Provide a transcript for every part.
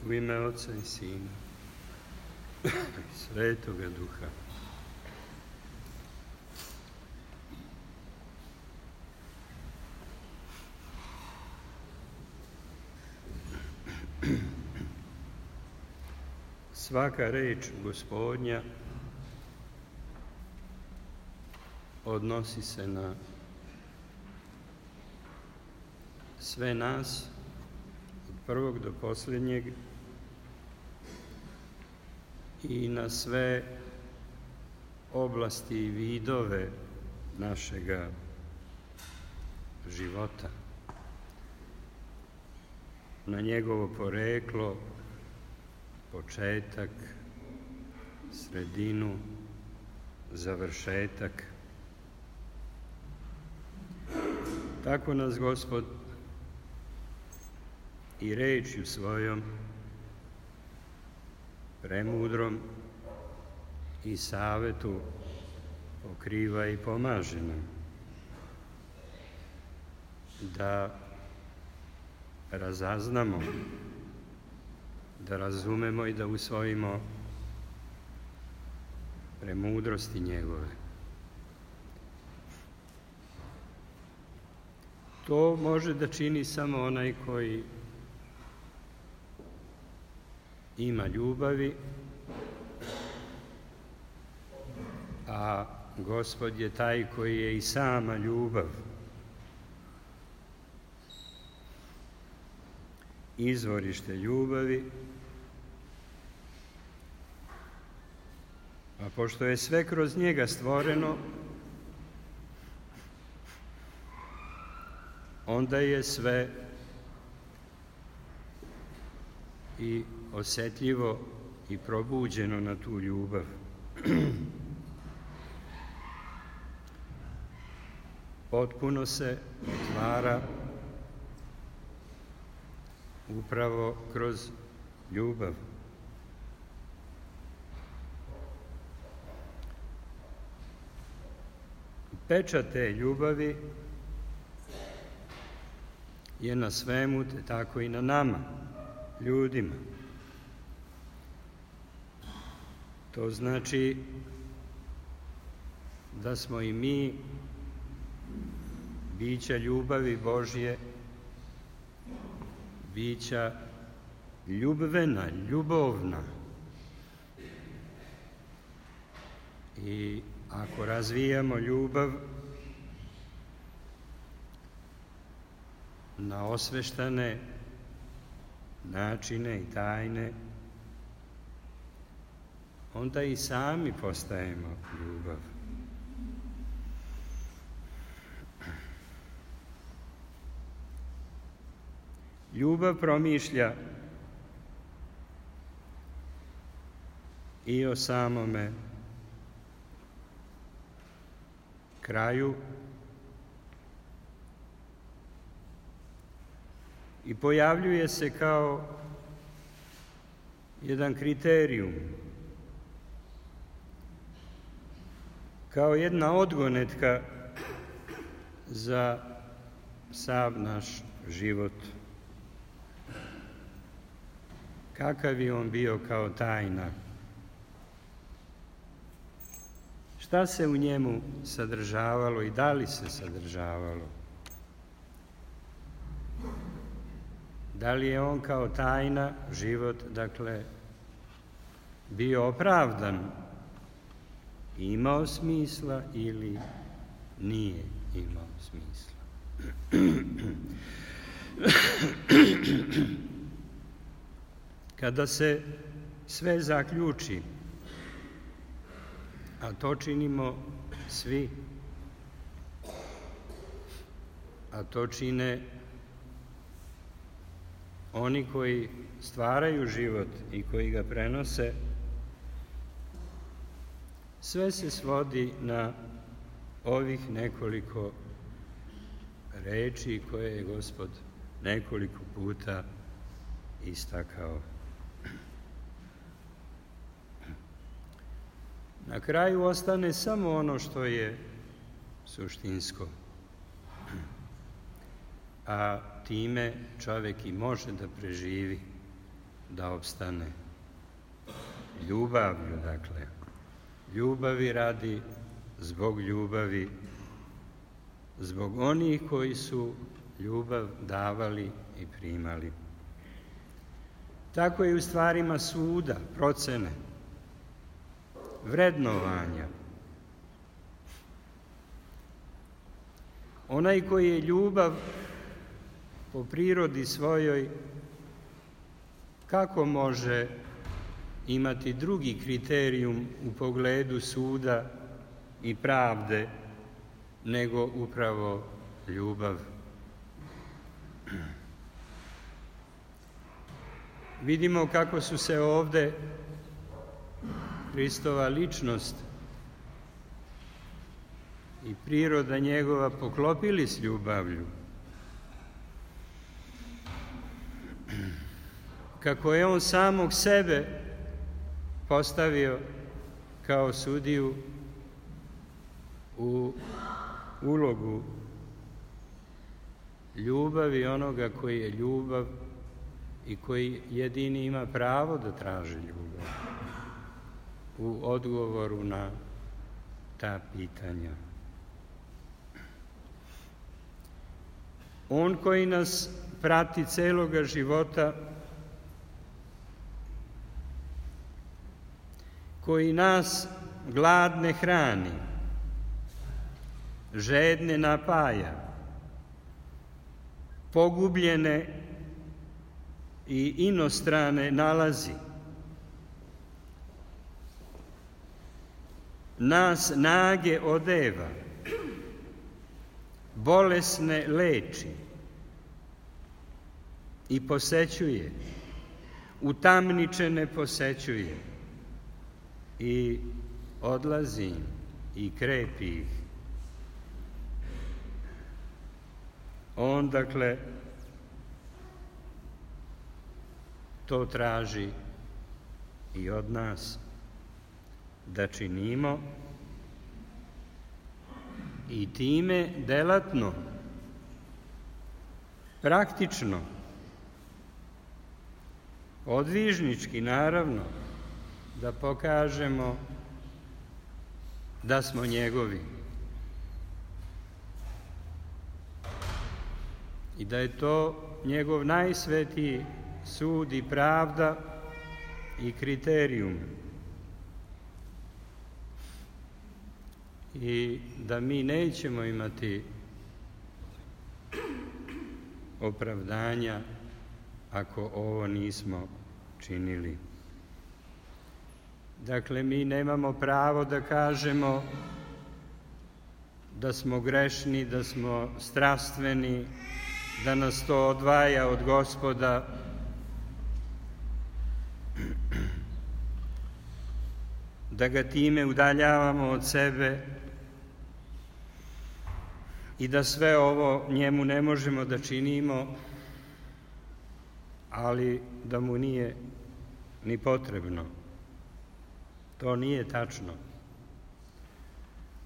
U ime Oca i Sina i Svetoga Duha. Svaka reč Gospodnja odnosi se na sve nas, od prvog do posljednjeg, i na sve oblasti i vidove našega života, na njegovo poreklo, početak, sredinu, završetak. Tako nas Gospod i rečju svojom, premudrom i savetu pokriva i pomaže nam da razaznamo, da razumemo i da usvojimo premudrosti njegove. To može da čini samo onaj koji ima ljubavi, a Gospod je taj koji je i sama ljubav. Izvorište ljubavi, a pošto je sve kroz njega stvoreno, onda je sve i osjetljivo i probuđeno na tu ljubav. Potpuno se otvara upravo kroz ljubav. Pečat te ljubavi je na svemu, te tako i na nama, ljudima. To znači da smo i mi bića ljubavi Božje, bića ljubvena, ljubovna. I ako razvijamo ljubav na osveštane načine i tajne, onda i sami postajemo ljubav. Ljubav promišlja i o samome kraju i pojavljuje se kao jedan kriterijum, kao jedna odgonetka za sav naš život. Kakav je on bio kao tajna? Šta se u njemu sadržavalo i da li se sadržavalo? Da li je on kao tajna, život, dakle, bio opravdan, imao smisla ili nije imao smisla? Kada se sve zaključi, a to činimo svi, a to čine oni koji stvaraju život i koji ga prenose, sve se svodi na ovih nekoliko reči koje je Gospod nekoliko puta istakao. Na kraju ostane samo ono što je suštinsko, a time čovjek i može da preživi da opstane. Ljubavlju, dakle. Ljubavi radi, zbog ljubavi, zbog onih koji su ljubav davali i primali. Tako je u stvarima suda, procene, vrednovanja. Onaj koji je ljubav po prirodi svojoj, kako može imati drugi kriterijum u pogledu suda i pravde nego upravo ljubav? Vidimo kako su se ovde Hristova ličnost i priroda njegova poklopili s ljubavlju. Kako je on samog sebe postavio kao sudiju u ulogu ljubavi onoga koji je ljubav i koji jedini ima pravo da traži ljubav u odgovoru na ta pitanja. On koji nas prati celoga života, koji nas gladne hrani, žedne napaja, pogubljene i inostrane nalazi, nas nage odeva, bolesne leči i posećuje, utamničene posećuje i odlazi im i krepi ih. On, dakle, to traži i od nas da činimo i time delatno, praktično, odvižnički, naravno, da pokažemo da smo njegovi i da je to njegov najsvetiji sud i pravda i kriterijum i da mi nećemo imati opravdanja ako ovo nismo činili. Dakle, mi nemamo pravo da kažemo da smo grešni, da smo strastveni, da nas to odvaja od Gospoda. Da ga time udaljavamo od sebe i da sve ovo njemu ne možemo da činimo, ali da mu nije ni potrebno. To nije tačno.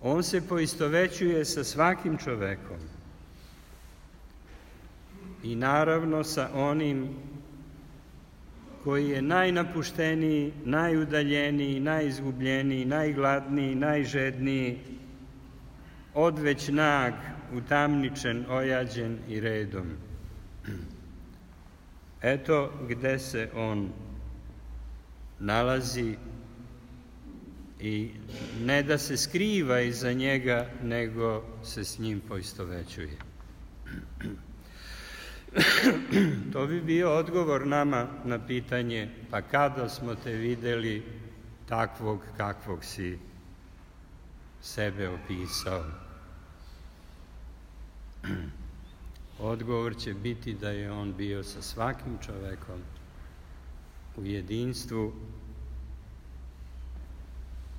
On se poistovećuje sa svakim čovekom i naravno sa onim koji je najnapušteniji, najudaljeniji, najizgubljeniji, najgladniji, najžedniji, odveć nag, utamničen, ojađen i redom. Eto gde se on nalazi i ne da se skriva iza njega, nego se s njim poistovećuje. To bi bio odgovor nama na pitanje, pa kada smo te videli takvog kakvog si sebe opisao? Odgovor će biti da je on bio sa svakim čovekom u jedinstvu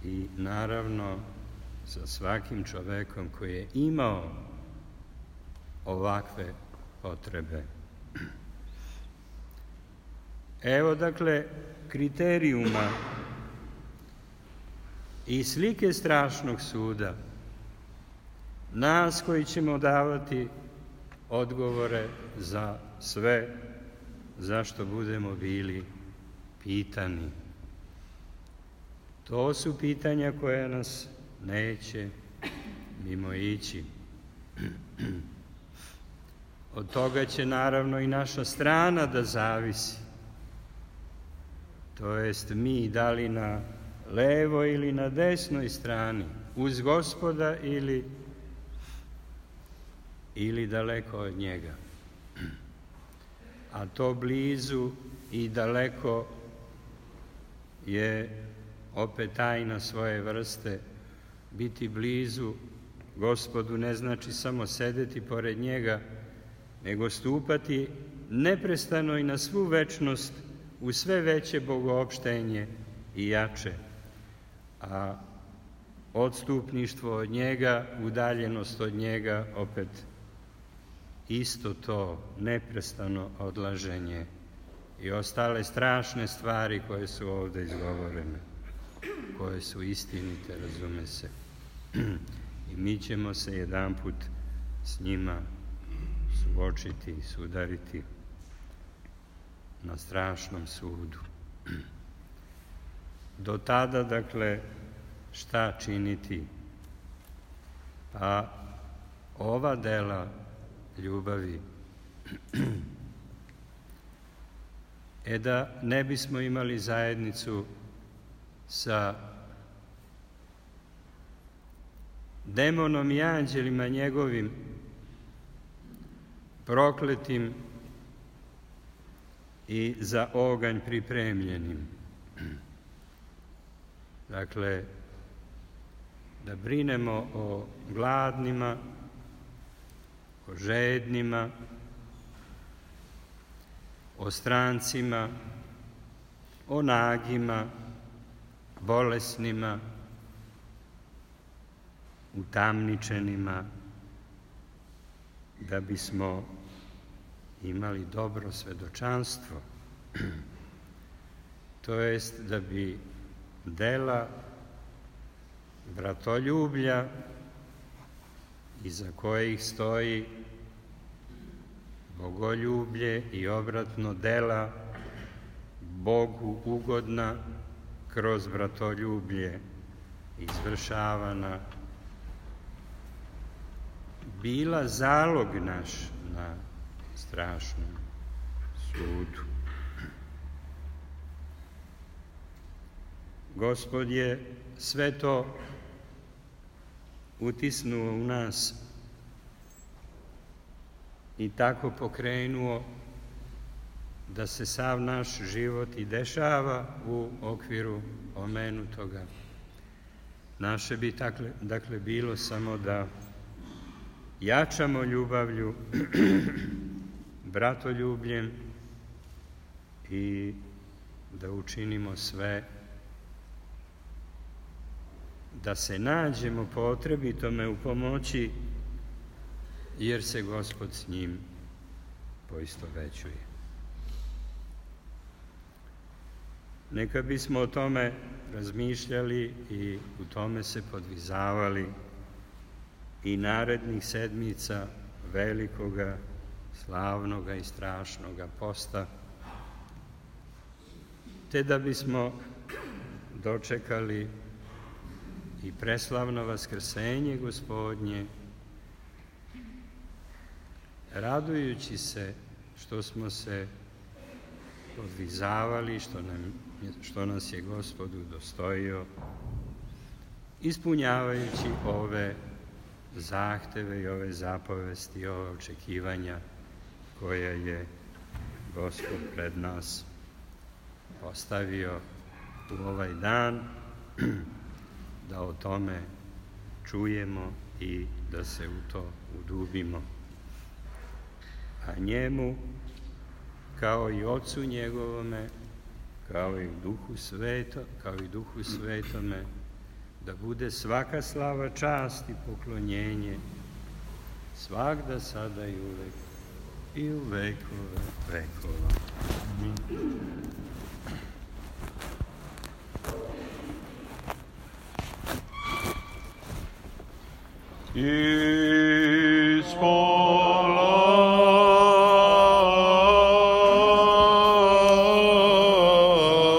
i naravno sa svakim čovekom koji je imao ovakve potrebe. Evo, dakle, kriterijuma i slike strašnog suda, nas koji ćemo davati odgovore za sve zašto budemo bili pitani. To su pitanja koja nas neće mimoići. Od toga će naravno i naša strana da zavisi. To jest mi da li na levoj ili na desnoj strani, uz Gospoda ili daleko od njega. A to blizu i daleko je opet tajna svoje vrste. Biti blizu Gospodu ne znači samo sedeti pored njega, nego stupati neprestano i na svu večnost u sve veće bogoopštenje i jače. A odstupništvo od njega, udaljenost od njega, opet isto to neprestano odlaženje i ostale strašne stvari koje su ovde izgovorene, koje su istinite, razume se. I mi ćemo se jedanput s njima suočiti i sudariti na strašnom sudu. Do tada, dakle, šta činiti? Pa ova dela ljubavi, da ne bismo imali zajednicu sa demonom i anđelima njegovim, prokletim i za oganj pripremljenim. Dakle, da brinemo o gladnima, o žednima, o strancima, o nagima, bolesnima, utamničenima, da bismo imali dobro svedočanstvo, to jest da bi dela bratoljublja iza kojih stoji bogoljublje i obratno dela Bogu ugodna kroz bratoljublje izvršavana, bila zalog naš na strašnom sudu. Gospod je sve to utisnuo u nas i tako pokrenuo da se sav naš život i dešava u okviru omenutoga. Naše bi dakle bilo samo da jačamo ljubavlju, bratoljubljem i da učinimo sve da se nađemo potrebitome u pomoći, jer se Gospod s njim poistovećuje. Neka bismo o tome razmišljali i u tome se podvizavali i narednih sedmica velikoga, slavnoga i strašnoga posta, te da bismo dočekali i preslavno vaskrsenje Gospodnje, radujući se što smo se podvizavali, što nas je Gospod udostojio, ispunjavajući ove zahteve i ove zapovesti i ove očekivanja koja je Gospod pred nas postavio u ovaj dan, da o tome čujemo i da se u to udubimo. A njemu, kao i Otcu njegovome, kao i Duhu Svetome, da bude svaka slava, čast i poklonjenje, svagda, sada i uvek, i u vekove vekova. Ispod